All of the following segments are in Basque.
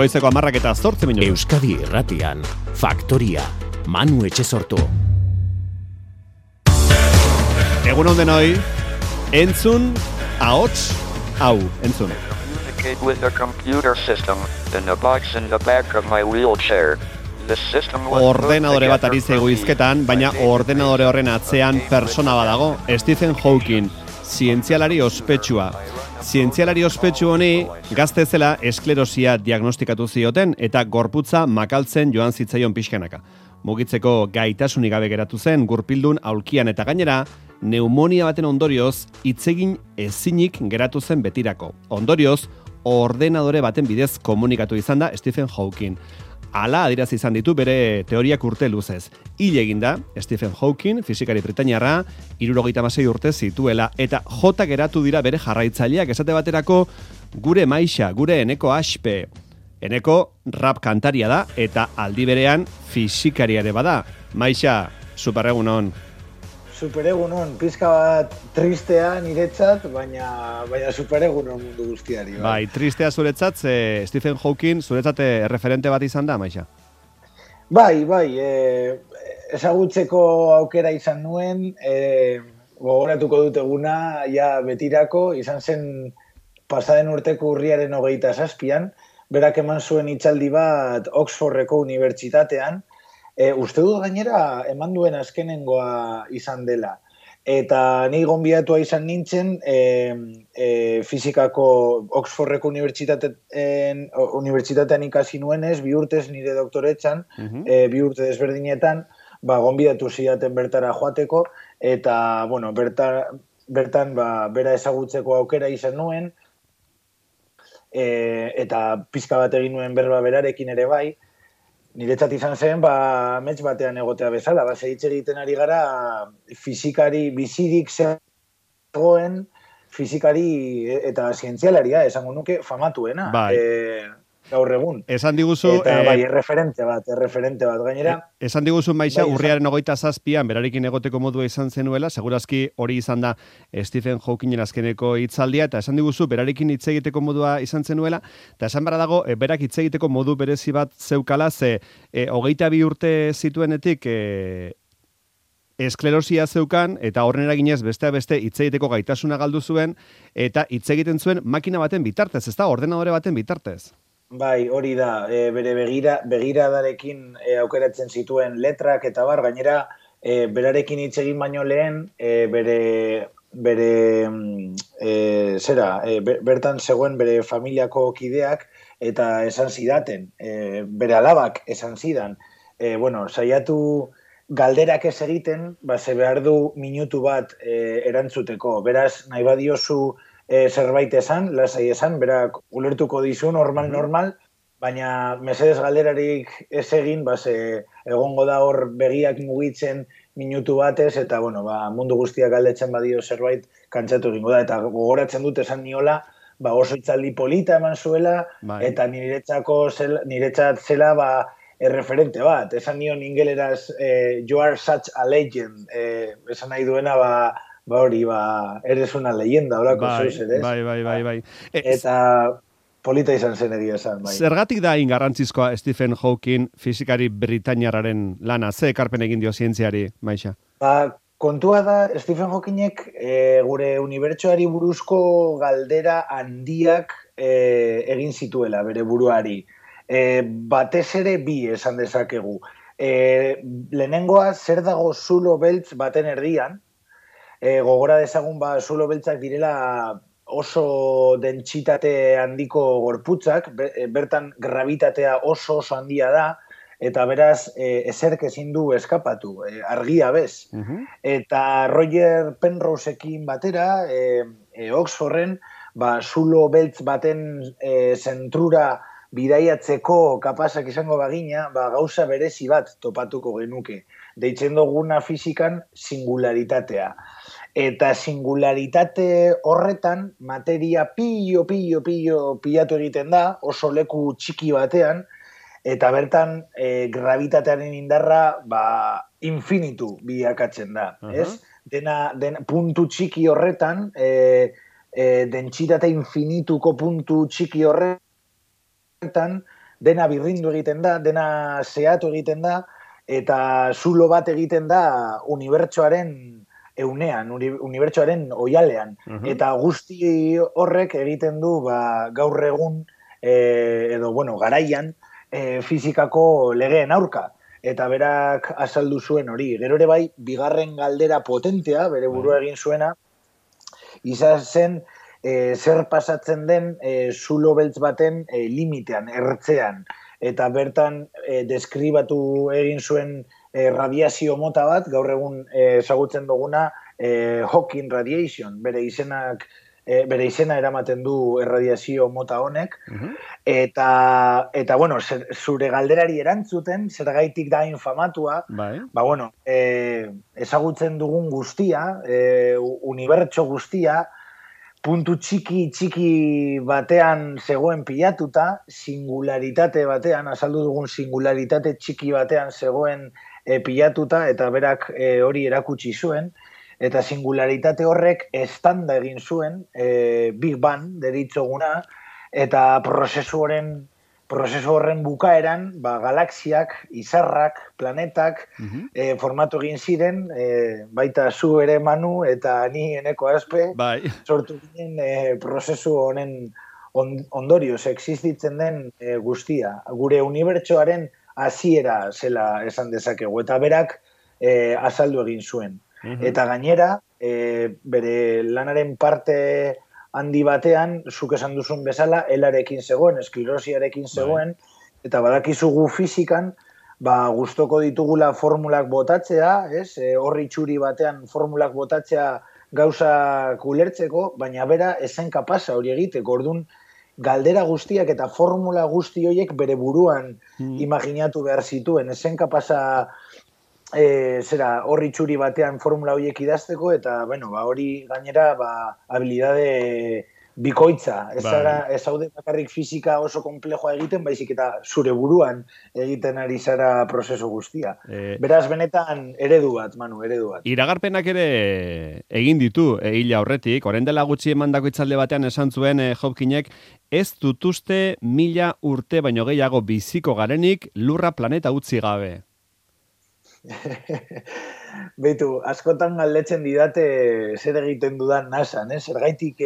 Goizeko 10:08. Euskadi Irratian, Faktoria, Manu Etxesortu. Egun on denoi, entzun, ahots, hau, entzun. Communicate with a computer system in a box in the back of my wheelchair. The system was Ordenadore bat ari zaigu hizketan, baina ordenadore horren atzean persona badago, Stephen Hawking, zientzialari ospetsua. Zientzialari ospetsu honi gazte zela esklerosia diagnostikatu zioten eta gorputza makaltzen joan zitzaion pixkanaka. Mugitzeko gaitasunik gabe geratu zen gurpildun aulkian eta gainera pneumonia baten ondorioz hitzegin ezinik geratu zen betirako. Ondorioz, ordenadore baten bidez komunikatu izan da Stephen Hawking. Hala adierazi izan ditu bere teoriak urte luzez. Hil eginda, Stephen Hawking, fisikari britainiarra, 76 urte zituela, eta jota geratu dira bere jarraitzaileak esate baterako gure Maixa, gure Eneko Aspe. Eneko rap kantaria da, eta aldi berean fisikaria ere bada. Maixa, superegunon. Superegunon, pizka bat tristea niretzat, baina superegunon mundu guztiari. Bai, tristea zuretzat, Stephen Hawking zuretzat referente bat izan da, Maixa? Bai, ezagutzeko aukera izan nuen, gogoratuko dut eguna, ja betirako, izan zen pasaden urteko urriaren 27an, berak eman zuen hitzaldi bat Oxfordeko unibertsitatean, uste dut gainera eman duen azkenengoa izan dela. Eta ni gonbidatua izan nintzen fizikako Oxfordeko unibertsitatean ikasi nuenez, 2 urtez nire doktoretzan, 2 urte desberdinetan, gonbidatu zidaten bertara joateko, eta bertan bera ezagutzeko aukera izan nuen, eta pizka bat egin nuen berba berarekin ere bai. Niretzat izan zen, amets batean egotea bezala, hitz egiten ari gara fizikari bizirik zegoen, fizikari eta zientzialaria, esango nuke famatuena. Gaur egun. Esan diguzu... Eta erreferente bat gainera. Esan diguzu, Maixa, urriaren 27an berarekin egoteko modua izan zenuela, segurazki hori izan da Stephen Hawkingen azkeneko hitzaldia, eta esan diguzu berarekin hitz egiteko modua izan zenuela, eta esan bara dago, berak hitz egiteko modu berezi bat zeukala, 22 urte zituenetik esklerosia zeukan, eta horren eraginez besteak beste hitz egiteko gaitasuna galdu zuen, eta hitz egiten zuen makina baten bitartez, ez da, ordenadore baten bitartez. Bai, hori da, bere begiradarekin aukeratzen zituen letrak eta gainera berarekin hitz egin baino lehen, bertan zegoen bere familiako kideak eta esan zidaten, bere alabak esan zidan, saiatu galderak ez egiten, ze behar du minutu bat erantzuteko, beraz nahi badiozu zerbait esan, lasai esan, berak ulertuko dizu normal, baina mesedez galderarik ez egin, egongo da hor begiak mugitzen minutu batez, eta mundu guztiak galdetzen badio zerbait kantzatu egingo da, eta gogoratzen dut esan niola, oso hitzaldi polita eman zuela, eta niretzat zela erreferente bat, esan nion ingeleraz you are such a legend, esan nahi duena eres una leyenda, horako zoiz ere. Bai. Eta polita izan zen egia esan, bai. Zergatik da ingarrantzizkoa Stephen Hawking fisikari britainiarraren lana? Ze ekarpen egin dio zientziari, Maixa? Kontua da, Stephen Hawkingek gure unibertsoari buruzko galdera handiak egin zituela bere buruari. Batez ere bi esan dezakegu. Lehenengoa, zer dago zulo beltz baten erdian, gogora dezagun zulo beltzak direla oso dentsitate handiko gorputzak, bertan gravitatea oso handia da, eta beraz ezerk ezin du eskapatu, argia bez. Eta Roger Penrosekin batera, Oxforden, zulo beltz baten zentrura bidaiatzeko kapazak izango bagina, gauza berezi bat topatuko genuke. Deitzen duguna fizikan singularitatea. Eta singularitate horretan materia pilatu egiten da, oso leku txiki batean, eta bertan gravitatearen indarra infinitu bilakatzen da. Dena puntu txiki horretan, dentsitate infinituko puntu txiki horretan, dena birrindu egiten da, dena zehatu egiten da, eta zulo bat egiten da unibertsoaren eunean, unibertsoaren oialean. Eta guzti horrek egiten du gaur egun, garaian, fizikako legeen aurka. Eta berak azaldu zuen hori. Gero ere bai, bigarren galdera potentea, bere burua egin zuena, izan zen zer pasatzen den zulo beltz baten limitean, ertzean. Eta bertan deskribatu egin zuen radiazio mota bat, gaur egun ezagutzen duguna Hawking radiation, bere izena eramaten du erradiazio mota honek, eta bueno, zure galderari erantzuten, zergaitik da infamatua, ezagutzen dugun guztia, unibertso guztia, puntu txiki batean zegoen pilatuta, singularitate batean, azaldu dugun singularitate txiki batean zegoen pilatuta, eta berak hori erakutsi zuen, eta singularitate horrek estanda egin zuen, Big Bang deritzoguna, eta prozesu horren bukaeran, galaxiak, izarrak, planetak, formatu egin ziren, baita zu ere Manu, eta ni Eneko Azpe, sortu ginen prozesu honen ondorioz, existitzen den guztia. Gure unibertsoaren hasiera zela esan dezakegu, eta berak azaldu egin zuen. Eta gainera, bere lanaren parte handi batean, zuk esan duzun bezala, helarekin zegoen, esklerosiarekin zegoen, eta badakizugu fizikan, gustoko ditugula formulak botatzea, horri txuri batean formulak botatzea gauzak ulertzeko, baina bera esen kapasa hori egiteko, orduan galdera guztiak eta formula guzti horiek bere buruan imaginatu behar zituen, esen kapasa horri txuri batean formula horiek idazteko, eta hori gainera habilidade bikoitza. Ez haude bakarrik fizika oso komplejoa egiten, baizik eta zure buruan egiten ari zara prozesu guztia. Beraz, benetan eredu bat, Manu, eredu bat. Iragarpenak ere egin ditu hila horretik, orain dela gutxi emandako hitzaldi batean esan zuen Hawkingek, ez dutuzte 1000 urte baino gehiago biziko garenik lurra planeta utzi gabe. Beitu, askotan galdetzen didate zer egiten dudan NASAn, zergaitik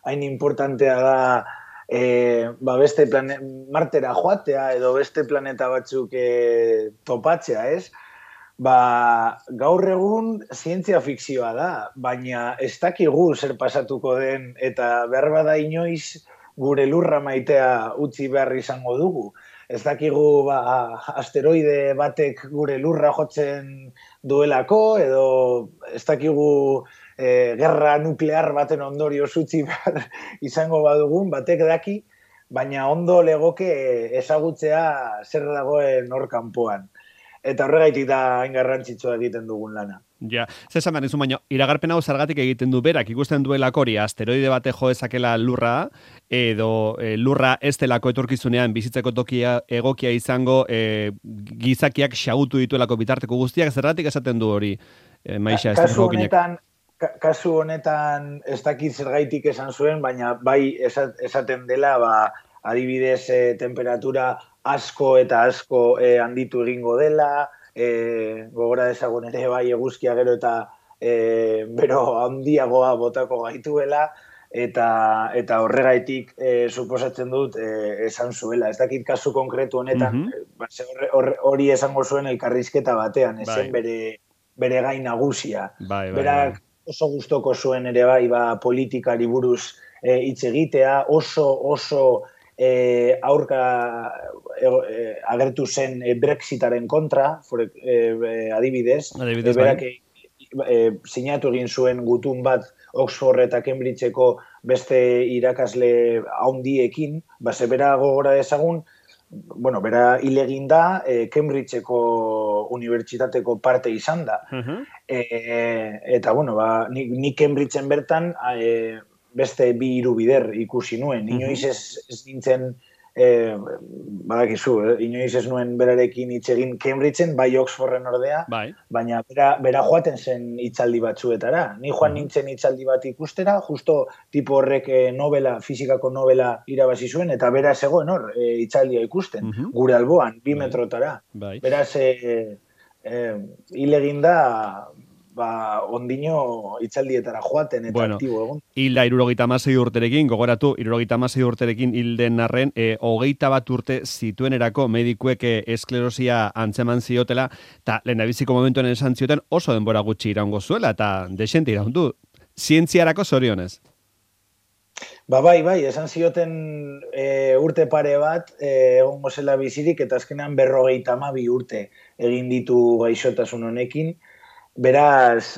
hain importantea da beste Martera joatea edo beste planeta batzuk topatzea, gaur egun zientzia fikzioa da, baina ez dakigu zer pasatuko den eta behar bada inoiz gure lurra maitea utzi behar izango dugu. Ez dakigu asteroide batek gure lurra jotzen duelako, edo ez dakigu gerra nuklear baten ondorio utzi behar izango badugun, batek daki, baina ondo legoke ezagutzea zer dagoen hor kanpoan. Eta horregaitik da hain garrantzitsua egiten dugun lana. Ja, zesan behar nizu, baina iragarpen hau zergatik egiten du berak, ikusten duelako hori asteroide bate jo ezakela lurra, edo lurra ez delako etorkizunean bizitzeko tokia egokia izango gizakiak xagutu dituelako bitarteko guztiak, zergatik esaten du hori, Maixa, kasu honetan ez dakit zergaitik esan zuen, baina bai esaten dela, adibidez temperatura asko eta asko handitu egingo dela, gogora dezagun ere bai eguzkia gero eta bero handiagoa botako gaituela, eta horregaitik suposatzen dut esan zuela. Ez dakit kasu konkretu honetan, hori esango zuen elkarrizketa batean, ezen bere gai nagusia. Berak oso gustoko zuen ere bai politikari buruz hitz egitea, oso aurka agertu zen Brexitaren kontra, adibidez, berak sinatu egin zuen gutun bat Oxford eta Cambridgeko beste irakasle handiekin, bera gogora dezagun, bera hil egin da, Cambridgeko unibertsitateko parte izan da. Eta, nik Cambridgeen bertan beste 2 bider ikusi nuen. Inoiz ez nintzen badakizu, inoiz ez nuen berarekin hitz egin Cambridgeen, bai Oxforden ordea, baina bera joaten zen hitzaldi batzuetara. Ni joan nintzen hitzaldi bat ikustera, justo tipo horrek fisikako novela irabazi zuen, eta bera zegoen hor, hitzaldia ikusten, gure alboan, 2 metrotara. Beraz, hil eginda, ondino hitzaldietara joaten eta aktibo egon. Hilda 76 urterekin, gogoratu, 76 urterekin hilden arren, 21 urte zituenerako medikuek esklerosia antzeman ziotela, eta lehendabiziko momentuen esan zioten oso denbora gutxi iraungo zuela, eta desente iraundu. Zientziarako zorionez. Bai, esan zioten urte pare bat, egongo zela bizirik, eta azkenean 52 urte egin ditu gaixotasun honekin. Beraz,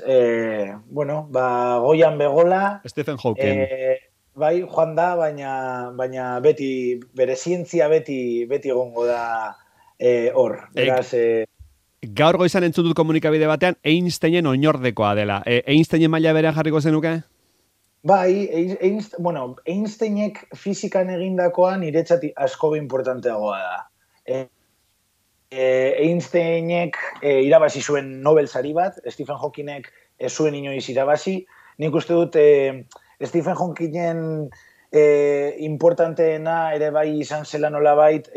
goian begola... Stephen Hawking. Bai, joan da, baina beti, bere zientzia beti egongo da hor. Beraz... Gaur goizan entzun dut komunikabide batean, Einsteinen oinordekoa dela. Einsteinen maila berean jarriko zenuke? Bai, Einsteinek fizikan egindakoa niretzat asko importanteagoa da. Einsteinek irabazi zuen Nobel sari bat, Stephen Hawkingek ez zuen inoiz irabazi. Nik uste dut Stephen Hawkingen importanteena ere bai izan zela nolabait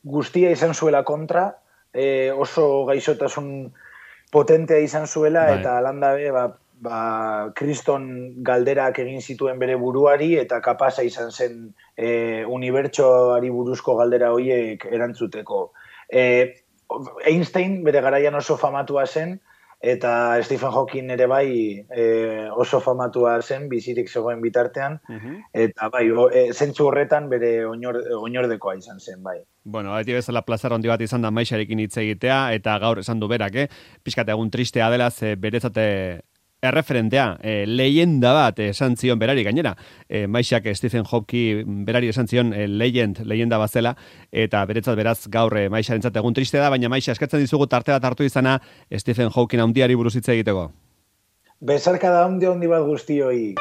guztia izan zuela kontra, oso gaixotasun potentea izan zuela, eta alandabe kriston galderak egin zituen bere buruari, eta kapasa izan zen unibertsoari buruzko galdera horiek erantzuteko. Einstein bere garaian oso famatua zen, eta Stephen Hawking ere bai oso famatua zen, bizirik zegoen bitartean, eta bai, zentzu horretan bere oinordekoa izan zen, bai. Bueno, beti bezala plazar handi bat izan da Maixarekin hitz egitea, eta gaur esan du berak, pixkat egun tristea dela, beretzate erreferentea, leyenda bat esan zion berari gainera. Maixak Stephen Hawking berari esan zion leyenda bat zela, eta beretzat beraz gaur Maixarentzat egun triste da, baina Maixa eskatzen dizugu tarte bat hartu izana Stephen Hawking handiari buruz hitz egiteko. Besarkada handi bat guztioi.